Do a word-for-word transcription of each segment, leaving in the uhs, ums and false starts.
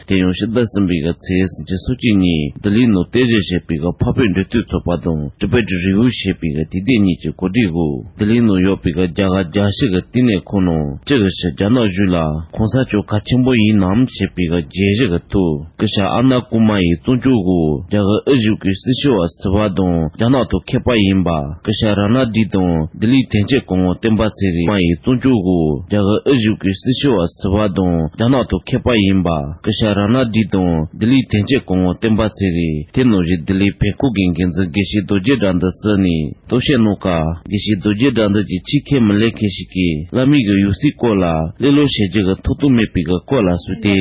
དེ་ཡང་ཕྱི་ཟླ་གསུམ་པའི་གི་ཚེས་བཅུ་གཅིག་ཉིན་ལྡི་ལིའི་ནང་རྟེན་གཞི་བྱས་པའི་གི་འཕགས་བོད་འབྲེལ་མཐུད་ཚོགས་པ་དང་Tibet Review ཞེས་པའི་གི་དུས་དེབ་གཉིས་ཀྱི་གོ་སྒྲིག་འོག་ལྡི་ལིའི་ནང་ཡོད་པའི་གི་རྒྱ་གར་རྒྱལ་སྤྱི་གི་བསྟི་གནས་ཁང་ནང་སྤྱི་གི་ཕྱི་རྒྱ་ནག་གཞུང་ལ་གོང་ས་མཆོག་གལ་ཆེན་པོ་ཡིན་ནམ་ཞེས་པའི་གི་བརྗོད་གཞི་གི་ཐོག་སྐུ་ཞབས་ཨ་ན་ཀུ་མ་ཡི་གཙོ་འཇུག་འོག་རྒྱ་གར་དབུས་གཞུང་གི་སྲི་ཞུ་བ་ཟུར་པ་དང་རྒྱ་ནག་ཐོག་མཁས་པ་ཡིན་པ་སྐུ་ཞབས་ར་ན་ཌི་དང་ལྡི་ལིའི་དོན་གཅོད་སྐུ་ངོ་བསྟན་པ་ཚེ་རིང་མ་ཡི་གཙོ་འཇུག་འོག་རྒྱ་གར་དབུས་གཞུང་གི་སྲི་ཞུ་བ་ཟུར་པ་དང་རྒྱ་ནག་ཐོག་མཁས་པ་ཡིན་པ་སྐུ་ཞབས་ར་ན་ཌི་དང་ལྡི་ལིའི་དོན་གཅོད་སྐུ་ངོ་བསྟན་པ་ཚེ་རིང་། དེ་ནང་བཞིན་ལྡི་ལིའི་བོད་ཁང་གི་འགན་འཛིན་དགེ་བཤེས་རྡོ་རྗེ་དགྲ་འདུལ་བསུ་ནས་གཏམ་བཤད་གནང་སྐབས། དགེ་བཤེས་རྡོ་རྗེ་དགྲ་འདུལ་གྱིས་ཕྱིའི་ཁས་མི་ལེན་མཁན་ཞིག་གིས་བླ་མའི་གི་ཡང་སྲིད་སྐོར་ལ་གླེང་སློང་བྱེད་རྒྱུ་གི་ཐོབ་ཐང་མེད་པའི་གི་སྐོར་ལ་གསུངས་ཏེ།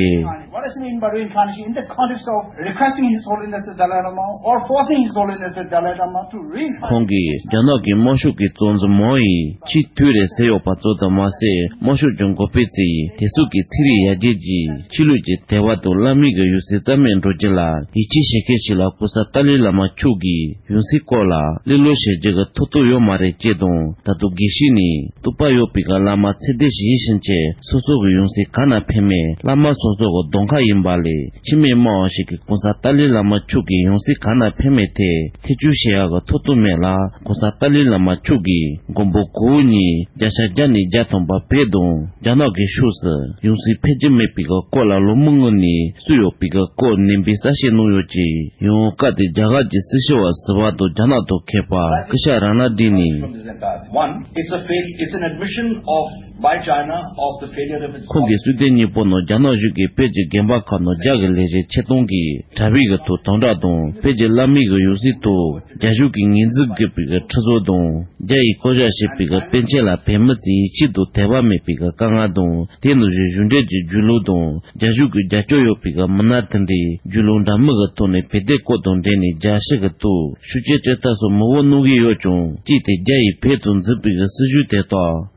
What does it mean by reincarnation in the context of requesting His Holiness the Dalai Lama or forcing His Holiness the Dalai Lama to reincarnate? ཁོང་གིས་རྒྱ་ནག་གི་དམར་ཤོག་གི་གཙོ་འཛིན་མའོ་ཡིས་ཆེས་དུས་རེད་ཟེར་ཡོད་པ་ཙམ་དུ་མ་ཟད། དམར་ཤོག་ཀྱི་འགོ་དཔོན་ཚོས་དེ་ཚོ་གི་ཚིག་རིགས་ཡར་རྒྱས་ཀྱིས་ཆོས་ལུགས་ཀྱི་དད་པ་དང་བླ་མའི་གི་ཡང་སྲིད་རྩ་མེད་འགྲོ་རྒྱུ་ལ་ཡིད་ཆེས་བྱེད་མཁན་ཞིག་ལ་གོང་ས་ཏཱ་ལའི་བླ་མ་མཆོག་གི་ཡང་སྲིད་སྐོར་ལ་གླེང་སློང་བྱེད་རྒྱུ་གི་ཐོབ་ཐང་ཡོད་མ་རེད་ཅེས་དང་། ད་དུང་དགེ་བཤེས་ནས་རྟོགས་པ་ཡོད་པའི་གི་བླ་མ་ཚད་ལྡན་ཞིག་ཡིན་ཕྱིན་ཆད། སོ་སོ་གི་ཡང་སྲིད་ག་ན་ཕེབས་མིན་བླ་མ་སོ་སོ་གི་གདོང་ཁ་ཡིན་པ་ལས། ཕྱི་མི་སྨྲ་བ་ཞིག་གིས་གོང་ས་ཏཱ་ལའི་བླ་མ་མཆོག་གི་ཡང་སྲིད་ག་ན་ཕེབས་མིན་ཐད་ཐེ་བྱུས་བྱེད་ཡག་གི་ཐོབ་ཐང་མེད་ལ། གོང་ས་ཏཱ་ལའི་བླ་མ་མཆོག་གིས་མགོན་པོ་གོ་བོ་ཉིད་བརྒྱ་ཆ་བརྒྱ་ནས་བརྒྱ་ཐམ་པ་བོད་དང་རྒྱ་ནག་གི་ཕྱོགས་སུ་ཡང་སྲིད་ཕེབས་ཀྱི་མེད་པའི་གི་སྐོར་ལ་ལོ་མང་སྔོན་ནས་གསུངས་ཡོད་པའི་གི་སྐོར་ནན་པོས་གསལ་བཤད་གནང་ཡོད་ཅིང་། ཡང་སྐབས་དེར་རྒྱ་གར་གྱི་སྲི་ཞུ་བ་ཟུར་པ་དང་རྒྱ་ནག་ཐོག་མཁས་པ་སྐུ་ཞབས་ར་ན་ཌི་ནས། One, it's a fail, it's an admission of, by China, of the failure of its ཁོང་གིས་གསུངས་དོན་གཉིས་པོ་ནང་རྒྱ་ནག་གཞུང་གིས་བོད་ཀྱི་དགོན་པ་ཁག་ནང་རྒྱ་གི་ལས་བྱེད་ཆེད་གཏོང་གིས་གྲྭ་པའི་གི་ཐོག་དམ་དྲག་དང་། བོད་ཀྱི་བླ་མའི་གི་ཡང་སྲིད་ཐོག་རྒྱ་གཞུང་གིས་ངོས་འཛིན་དགོས་པའི་གི་ཁྲིམས་སྲོལ་དང་། རྒྱ་ཡིས་བསྐོ་བཞག་བྱས་པའི་གི་པཎ་ཆེན་ལ་བོད་མི་ཚོས་ཡིད་ཆེས་དང་དད་པ་མེད་པའི་གི་དཀའ་ངལ་དང་། དེ་ནང་བཞིན་གཞུང་འབྲེལ་གྱི་བརྒྱུད་ལམ་དང་རྒྱ་གཞུང་གི་རྒྱབ་སྐྱོར་ཡོད་པའི་གི་མི་སྣ་དེ་འདྲས་བརྒྱུད་ལམ་འདྲ་མིན་གྱི་ཐོག་ནས་བོད་དོན་སྐོར་དང་འབྲེལ་ནས་རྒྱལ་སྤྱི་གི་ཐོག་ཤུགས་རྐྱེན་སྤྲོད་ཐབས་སོགས་མང་པོ་གནང་གི་ཡོད་ཀྱང་། གཅིག་དེ་རྒྱ་ཡིས་བོད་དུ་འཛིན་པའི་གི་སྲིད་བྱུས་དེ་དག་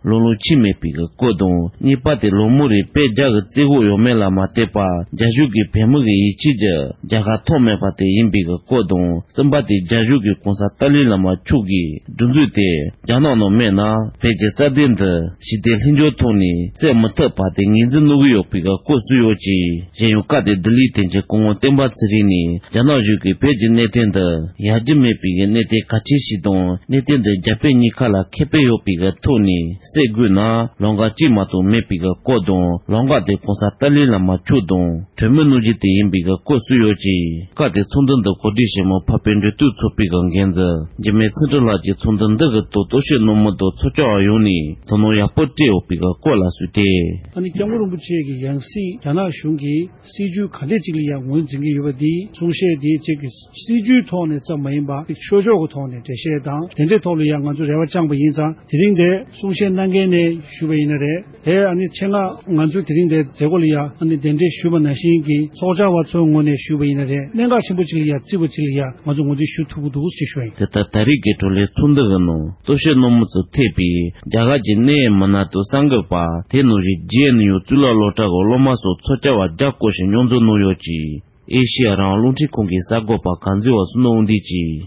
ལམ་ལྷོང་ཕྱིན་མེད་པའི་གི་སྐོར་དང་། གཉིས་པ་དེ་ལོ་མང་རིང་བོད་རྒྱ་གི་བཙན་འོག་ཡོད་མེད་ལ་མ་ལྟོས་པར་རྒྱ་གཞུང་གིས་བོད་མི་གི་ཡིད་ཆེས་ཀྱི་རྒྱལ་ཁ་ཐོབ་མེད་པ་དེ་ཡིན་པའི་གི་སྐོར་དང་། གསུམ་པ་དེ་རྒྱ་གཞུང་གིས་གོང་ས་ཏཱ་ལའི་བླ་མ་མཆོག་གི་སྒྲིག་འཛུགས་དེ་རྒྱ་ནག་ནང་མེད་ན་བོད་ཀྱི་རྩ་དོན་འདི་ཞི་བདེ་ལྷིང་འཇགས་ཐོག་ནས་སེལ་མི་ཐུབ་པ་དེ་ངོས་འཛིན་གནང་གི་ཡོད་པའི་གི་སྐོར་གསུངས་ཡོད་ཅིང་། གཞན་ཡང་སྐབས་དེར་ལྡི་ལིའི་དོན་གཅོད་སྐུ་ངོ་བསྟན་པ་ཚེ་རིང་ནས་རྒྱ་ནག་གཞུང་གིས་བོད་ཀྱི་གནད་དོན་འདི་ཡར་རྒྱས་མེད་པའི་གི་གནད་དོན་གལ་ཆེ་ཞིག་དང་། གནད་དོན་འདི་རྒྱ་བོད་གཉིས་ཀ་ལ་ཁེ་ཕན་ཡོད་པའི་གི་ཐོག་ནས་སེལ་དགོས་ན་ལམ་ཁ་གཅིག་མ་གཏོགས་མེད་པའི་གི་སྐོར་དང་། ལམ་ཁ་དེ་གོང་ས་ཏཱ་ལའི་བླ་མ་མཆོག་དང་གྲོས་མོལ་གནང་རྒྱུ་དེ་ཡིན་པའི་གི་སྐོར་གསུངས་ཡོད་ཅིང་། སྐབས་དེར་ཚོགས་འདུ་འདི་གོ་སྒྲིག་བྱེད་མི་འཕགས་པའི་འབྲེལ་མཐུད་ཚོགས་པའི་གི་འགན་འཛིན་འཇིགས་མེད་ཚེ་རིང་ལགས་ཀྱིས་ཚོགས་འདུ་འདི་གི་ཐོག་རྟོག་ཞིབ་གནང་མི་དང་ཚོགས་བཅར་བ་ཡོངས་ནས་དོ་སྣང་ཡག་པོ་སྤྲད་ཡོད་པའི་གི་སྐོར་ལ་གསུངས་ཏེ། ཨ་ནི་སྐྱབས་མགོན་རིན་པོ་ཆེ་གི་ཡང་སྲིད་རྒྱ་ནག་གཞུང་གིས་སྲིད་བྱུས་ག་འདྲས་ཅིག་ལ་ཡང་ངོས་འཛིན་གྱི་ཡོད་པ་འདི་གསུང་བཤད་འདི་གཅིག་གི་སྲིད་བྱུས་ཐོག་ནས་ཙམ་མ་ཡིན་པ་ཆོས་ཕྱོགས་ཀྱི་ཐོག་ནས་འགྲེལ་བཤད་དང་དེ་འདྲའི་ཐོག་ལ་ཡང་ང་ཚོ་རེ་བ་བཅངས་པ་ཡིན་ཙང་། དེ་རིང་འདིར་གསུང་བཤད་གནང་མཁན་ནས་ཞུས་པ་ཡིན་ན་རེད། དེ་ཨ་ནི་ཆེད་མངགས་ང་ཚོས་དེ་རིང་འདིར་མཛད་སྒོ་ལ་ཡང་ཨ་ནི་གདན་འདྲེན་ཞུས་པ་ནང་བཞིན་གྱི་ཚོགས་བཅར་བ་ཚོའི་ངོས་ནས་ཞུས་པ་ཡིན་ན་རེད། གནད་འགག་ཆེན་པོ་ཅིག་ལ་ཡང་བརྩིས་པ་ཅིག་ལ་ཡང་ང་ཚོ་ངོས་འཛིན་ཞུ་ཐུབ་ཀྱི་འདུག་ཅེས་ཞུ་བ་ཡིན། དེ་ལྟར་ད་རེས་ཀྱི་བགྲོ་གླེང་ཚོགས་འདུ་གི་ནང་རྟོག་ཞིབ་གནང་མི་ཚོ་ཐེ་བའི་རྒྱ་གར་གྱི་གནད་ཡོད་མི་སྣ་དང་གསར་འགོད་པ། དེ་ནང་བཞིན་ཇེ་ཨེན་ཡུ་གཙུག་ལག་སློབ་གྲྭ་གི་སློབ་མ་སོགས་ཚོགས་བཅར་བ་བརྒྱ་སྐོར་ཞིག་མཉམ་འཛོམས་གནང་ཡོད་ཅིང་། ཨེ་ཤེ་ཡ་རང་དབང་རླུང་འཕྲིན་ཁང་གི་གསར་འགོད་པ་གངས་འཛིན་བ་བསོད་ནམས་དབང་འདུས་ཀྱིས།